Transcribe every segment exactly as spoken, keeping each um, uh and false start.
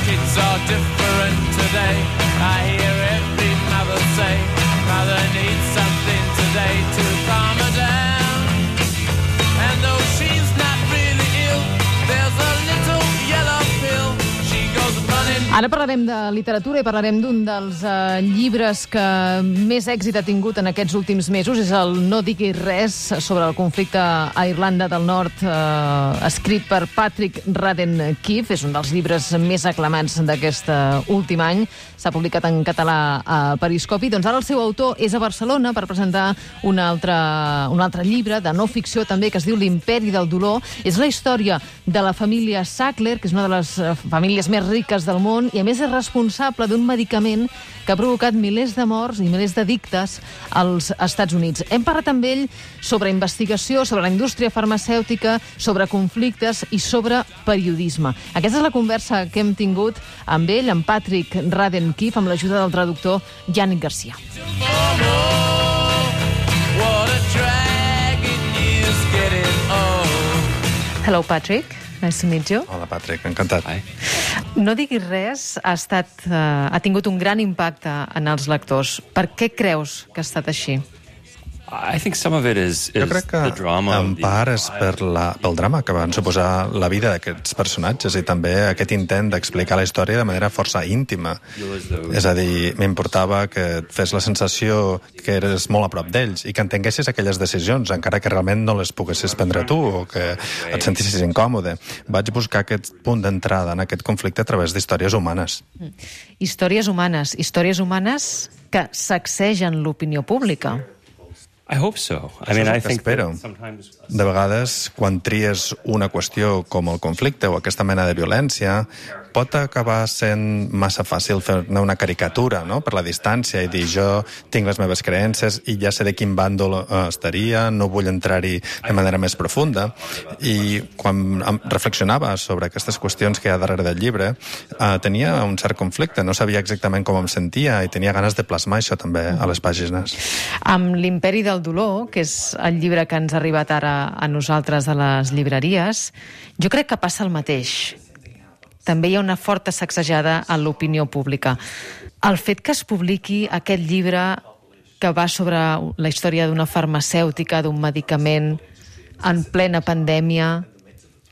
kids are different today. I hear every mother say, mother needs something today to calm her down. And though she's not really ill, there's a little yellow pill. She goes running. Ara parlarem de literatura i parlarem d'un dels uh, llibres que més èxit ha tingut en aquests últims mesos. És el No diguis res sobre el conflicte a Irlanda del Nord, uh, escrit per Patrick Radden Keefe. És un dels llibres més aclamats d'aquest uh, últim any. S'ha publicat en català a Periscopi. Doncs ara el seu autor és a Barcelona per presentar un altre, un altre llibre de no ficció també, que es diu L'imperi del dolor. És la història de la família Sackler, que és una de les famílies més riques del món, i a més és responsable d'un medicament que ha provocat milers de morts i milers d'addictes als Estats Units. Hem parlat amb ell sobre investigació, sobre la indústria farmacèutica, sobre conflictes i sobre periodisme. Aquesta és la conversa que hem tingut amb ell, amb Patrick Radden Keefe, amb l'ajuda del traductor Yannick Garcia. Hello, Patrick. Nice to meet you. Hola, Patrick, encantat. Hi. No diguis res ha, estat, uh, ha tingut un gran impacte en els lectors. Per què creus que ha estat així? I think some of it is, is Jo crec que the drama. en part és per la, pel drama que van suposar la vida d'aquests personatges i també aquest intent d'explicar la història de manera força íntima. És a dir, m'importava que et fes la sensació que eres molt a prop d'ells i que entenguessis aquelles decisions, encara que realment no les poguessis prendre tu o que et sentissis incòmode. Vaig buscar aquest punt d'entrada en aquest conflicte a través d'històries humanes. Mm. Històries humanes, històries humanes que sacsegen l'opinió pública. I hope so. I Això mean, és el I que think espero. that sometimes... De vegades, quan tries una qüestió com el conflicte o aquesta mena de violència, pot acabar sent massa fàcil fer-ne una caricatura, no?, per la distància i dir jo tinc les meves creences i ja sé de quin bàndol uh, estaria, no vull entrar-hi de manera més profunda. I quan reflexionava sobre aquestes qüestions que hi ha darrere del llibre, uh, tenia un cert conflicte, no sabia exactament com em sentia i tenia ganes de plasmar això també a les pàgines. Amb L'imperi del dolor, que és el llibre que ens ha arribat ara a nosaltres a les llibreries, jo crec que passa el mateix. També hi ha una forta sacsejada a l'opinió pública. El fet que es publiqui aquest llibre que va sobre la història d'una farmacèutica, d'un medicament en plena pandèmia,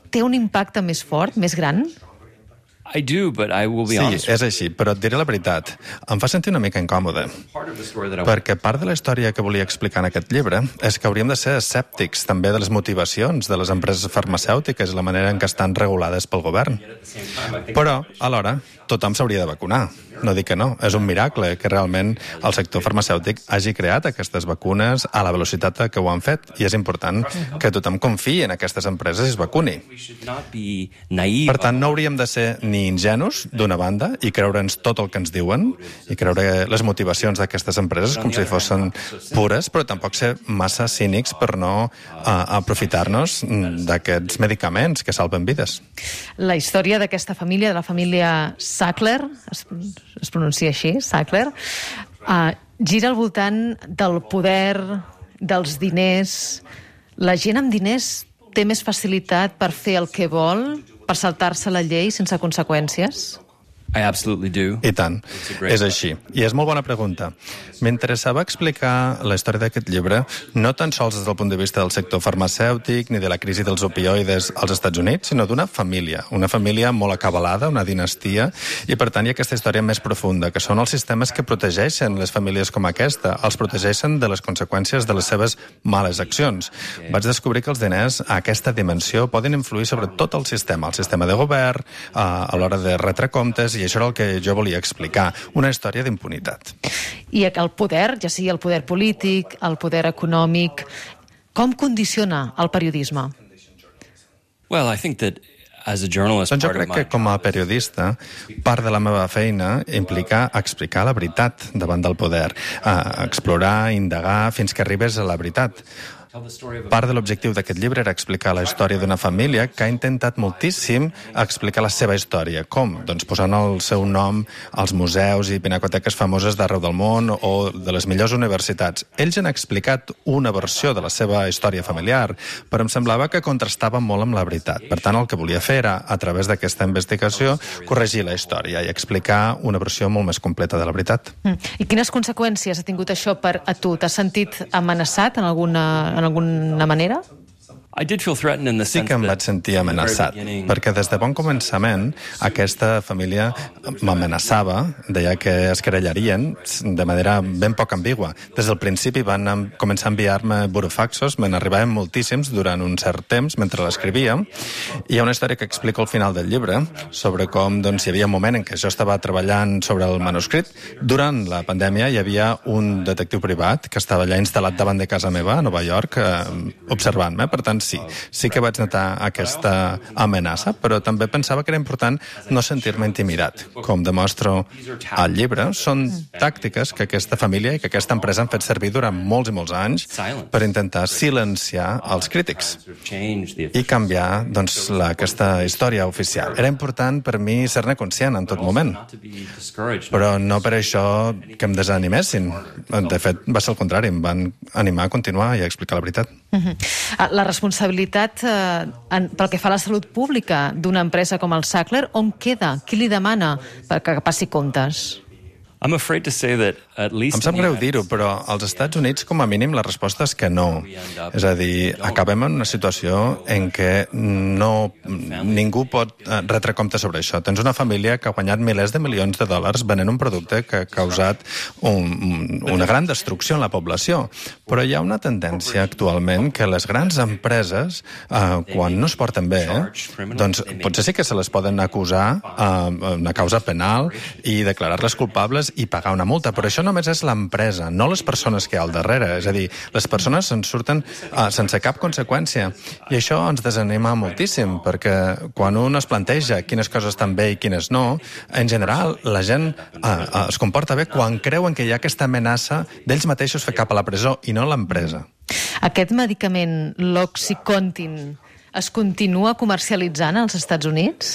té un impacte més fort, més gran? I do, but I will be Sí, honest. és així, però et diré la veritat. Em fa sentir una mica incòmode, Part of the story that I perquè part de la història que volia explicar en aquest llibre és que hauríem de ser escèptics també de les motivacions de les empreses farmacèutiques i la manera en què estan regulades pel govern. Però, alhora, tothom s'hauria de vacunar. No dic que no, és un miracle que realment el sector farmacèutic hagi creat aquestes vacunes a la velocitat que ho han fet, i és important que tothom confiï en aquestes empreses i es vacuni. we should not be naive. Per tant, no hauríem de ser ni ingenus, d'una banda, i creure'ns tot el que ens diuen, i creure les motivacions d'aquestes empreses com si fossin pures, però tampoc ser massa cínics per no uh, aprofitar-nos d'aquests medicaments que salven vides. La història d'aquesta família, de la família Sackler, es, es pronuncia així, Sackler, uh, gira al voltant del poder, dels diners. La gent amb diners té més facilitat per fer el que vol, per saltar-se la llei sense conseqüències? I absolutely do. I tant, és així. I és molt bona pregunta. M'interessava explicar la història d'aquest llibre no tan sols des del punt de vista del sector farmacèutic ni de la crisi dels opioides als Estats Units, sinó d'una família, una família molt acabalada, una dinastia, i per tant hi ha aquesta història més profunda, que són els sistemes que protegeixen les famílies com aquesta, els protegeixen de les conseqüències de les seves males accions. Vaig descobrir que els diners a aquesta dimensió poden influir sobre tot el sistema, el sistema de govern, a l'hora de retre comptes, i això era el que jo volia explicar, una història d'impunitat. I el poder, ja sigui el poder polític, el poder econòmic, com condiciona el periodisme? Well, I think that as a journalist, Doncs jo part of crec my que com a periodista, part de la meva feina implica explicar la veritat davant del poder, eh, explorar, indagar, fins que arribes a la veritat. part de l'objectiu d'aquest llibre era explicar la història d'una família que ha intentat moltíssim explicar la seva història. Com? Doncs posant el seu nom als museus i pinacoteques famoses d'arreu del món o de les millors universitats. Ells han explicat una versió de la seva història familiar, però em semblava que contrastava molt amb la veritat. Per tant, el que volia fer era, a través d'aquesta investigació, corregir la història i explicar una versió molt més completa de la veritat. Mm. I quines conseqüències ha tingut això per a tu? T'has sentit amenaçat en alguna, en alguna manera? I did feel threatened in the Sí sense que em that vaig sentir amenaçat, perquè des de bon començament aquesta família m'amenaçava, deia que es querellarien de manera ben poc ambigua. Des del principi van em- començar a enviar-me burofaxos, me n'arribaven moltíssims durant un cert temps mentre l'escrivia. Hi ha una història que explico al final del llibre sobre com doncs, hi havia un moment en què jo estava treballant sobre el manuscrit. Durant la pandèmia hi havia un detectiu privat que estava allà instal·lat davant de casa meva, a Nova York, eh, observant-me. Per tant, sí, sí que vaig notar aquesta amenaça, però també pensava que era important no sentir-me intimidat. Com demostro al llibre, són tàctiques que aquesta família i que aquesta empresa han fet servir durant molts i molts anys per intentar silenciar els crítics i canviar doncs, la, aquesta història oficial. Era important per mi ser-ne conscient en tot moment, però no per això que em desanimessin. De fet, va ser el contrari, em van animar a continuar i a explicar la veritat. Uh-huh. La responsabilitat eh, en, pel que fa a la salut pública d'una empresa com el Sackler, on queda? Qui li demana perquè passi comptes? I'm afraid to say that at least Em sap greu dir-ho, però als Estats Units, com a mínim, la resposta és que no. És a dir, acabem en una situació en què no, ningú pot retre compte sobre això. Tens una família que ha guanyat milers de milions de dòlars venent un producte que ha causat un, una gran destrucció en la població. Però hi ha una tendència actualment que les grans empreses, eh, quan no es porten bé, eh, doncs potser sí que se les poden acusar eh, una causa penal i declarar-les culpables i pagar una multa, però això només és l'empresa, no les persones que hi ha al darrere. És a dir, les persones se'n surten uh, sense cap conseqüència. I això ens desanima moltíssim, perquè quan un es planteja quines coses estan bé i quines no, en general la gent uh, uh, es comporta bé quan creuen que hi ha aquesta amenaça d'ells mateixos fer cap a la presó i no l'empresa. Aquest medicament, l'Oxycontin, es continua comercialitzant als Estats Units?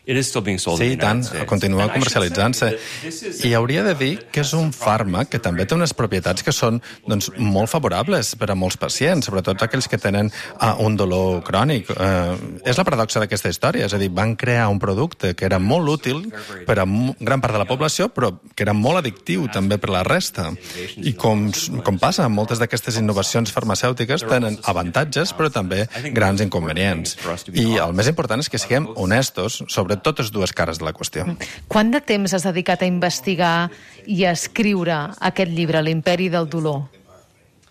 It is still being sold Sí, in i the tant, United States. continua And I should comercialitzant-se. say this is- I hauria de dir que és un fàrmac que també té unes propietats que són doncs, molt favorables per a molts pacients, sobretot aquells que tenen uh, un dolor crònic. Uh, és la paradoxa d'aquesta història, és a dir, van crear un producte que era molt útil per a m- gran part de la població, però que era molt addictiu també per la resta. I com, com passa amb moltes d'aquestes innovacions farmacèutiques, tenen avantatges, però també grans inconvenients. I el més important és que siguem honestos sobre totes dues cares de la qüestió. Quant de temps has dedicat a investigar i a escriure aquest llibre, L'imperi del dolor?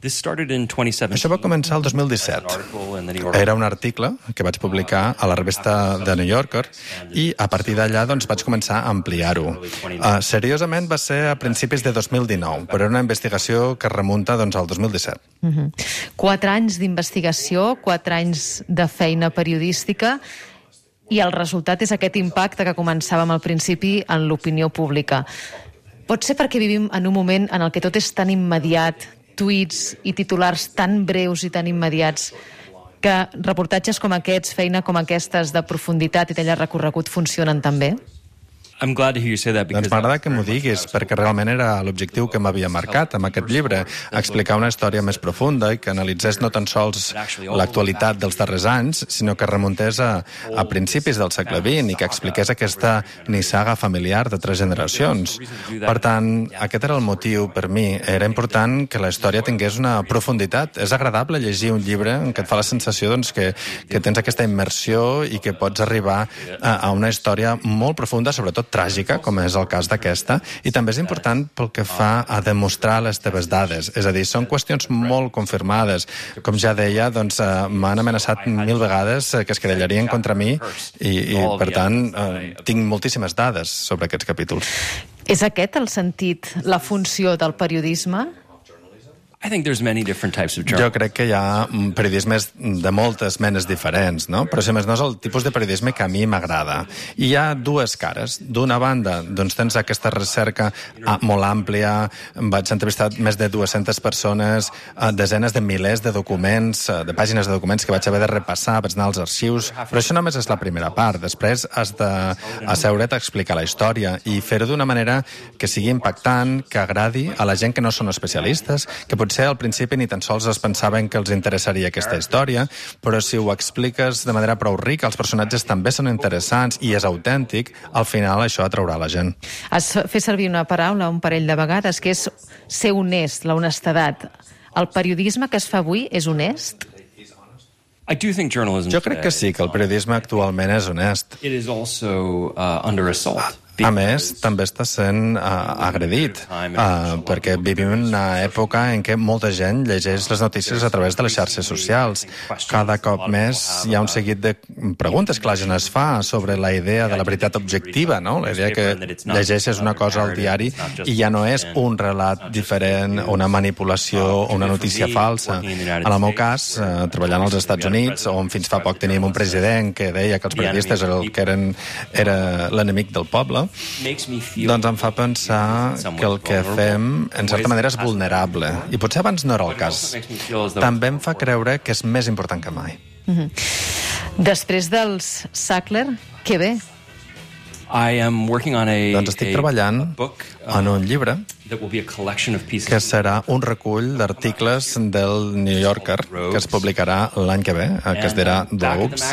This started in twenty seventeen. Això va començar el dos mil disset. Article in the New York Era un article que vaig publicar a la revista The New Yorker i a partir d'allà doncs, vaig començar a ampliar-ho. Uh, seriosament va ser a principis de dos mil dinou, però era una investigació que remunta doncs, al dos mil disset. Uh-huh. Quatre anys d'investigació, quatre anys de feina periodística, i el resultat és aquest impacte que començàvem al principi en l'opinió pública. Pot ser perquè vivim en un moment en el que tot és tan immediat, tuits i titulars tan breus i tan immediats, que reportatges com aquests, feina com aquestes de profunditat i de llarg recorregut funcionen tan bé? I'm glad to hear you say that because Doncs m'agrada que m'ho diguis, perquè realment era l'objectiu que m'havia marcat amb aquest llibre, explicar una història més profunda i que analitzés no tan sols l'actualitat dels darrers anys, sinó que remuntés a, a principis del segle vint i que expliqués aquesta nissaga familiar de tres generacions. Per tant, aquest era el motiu per mi. Era important que la història tingués una profunditat. És agradable llegir un llibre en què et fa la sensació doncs, que, que tens aquesta immersió i que pots arribar a, a una història molt profunda, sobretot tràgica, com és el cas d'aquesta, i també és important pel que fa a demostrar les teves dades. És a dir, són qüestions molt confirmades. Com ja deia, doncs, eh, m'han amenaçat mil vegades que es querellarien contra mi i, i per tant, eh, tinc moltíssimes dades sobre aquests capítols. És aquest el sentit, la funció del periodisme? I think there's many different types of Jo journalism. crec que hi ha mm, periodismes de moltes menes diferents, no? Però si més no és el tipus de periodisme que a mi m'agrada. I hi ha dues cares. D'una banda, doncs tens aquesta recerca ah, molt àmplia, vaig entrevistar més de dues-centes persones, eh, desenes de milers de documents, eh, de pàgines de documents que vaig haver de repassar, vaig anar als arxius, però això només és la primera part. Després has d'asseure't a explicar la història i fer-ho d'una manera que sigui impactant, que agradi a la gent que no són especialistes, que potser al principi ni tan sols es pensaven que els interessaria aquesta història, però si ho expliques de manera prou rica, els personatges també són interessants i és autèntic, al final això atraurà la gent. Has fet servir una paraula un parell de vegades, que és ser honest, la honestedat. El periodisme que es fa avui és honest? I do think journalism Jo crec que sí, que el periodisme actualment és honest. It is also uh, under assault. A més, també està sent uh, agredit, uh, perquè vivim en una època en què molta gent llegeix les notícies a través de les xarxes socials. Cada cop més hi ha un seguit de preguntes que la gent es fa sobre la idea de la veritat objectiva, no? La idea que llegeixes una cosa al diari i ja no és un relat diferent, una manipulació o una notícia falsa. En el meu cas, uh, treballant als Estats Units, on fins fa poc teníem un president que deia que els periodistes eren el que eren, era l'enemic del poble, doncs em fa pensar que el que fem, en certa manera, és vulnerable. I potser abans no era el cas. També em fa creure que és més important que mai. Mm-hmm. Després dels Sackler, què ve? I am working on a, doncs estic treballant a book, uh, en un llibre that will be a collection of pieces que serà un recull d'articles del New Yorker que es publicarà l'any que ve, que es dirà Globes.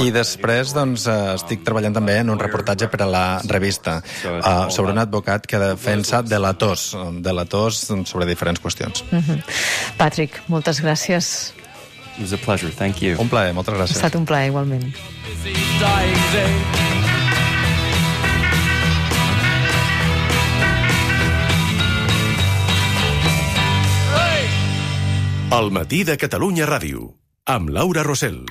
I després doncs, estic treballant també en un reportatge per a la revista uh, sobre un advocat que defensa delators, delators sobre diferents qüestions. Mm-hmm. Patrick, moltes gràcies. It was a pleasure, thank you. Un plaer, moltes Ha gràcies. estat un plaer, igualment. El matí de Catalunya Ràdio, amb Laura Rosell.